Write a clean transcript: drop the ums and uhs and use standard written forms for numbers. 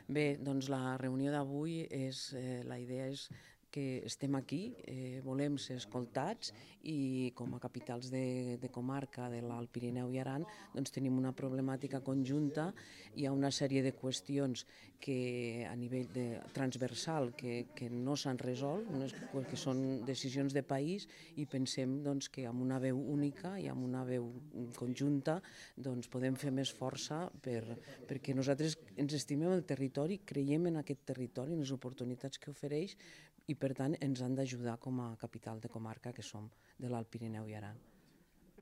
Bé, doncs la reunió d'avui la idea és que estem aquí, volem ser escoltats i com a capitals de comarca de l'Alt Pirineu i Aran doncs tenim una problemàtica conjunta, hi ha una sèrie de qüestions que a nivell transversal que no s'han resolt, que són decisions de país i pensem doncs, que amb una veu única i amb una veu conjunta doncs, podem fer més força perquè nosaltres ens estimem el territori, creiem en aquest territori, en les oportunitats que ofereix i per tant ens han d'ajudar com a capital de comarca que som de l'Alt Pirineu i Aran.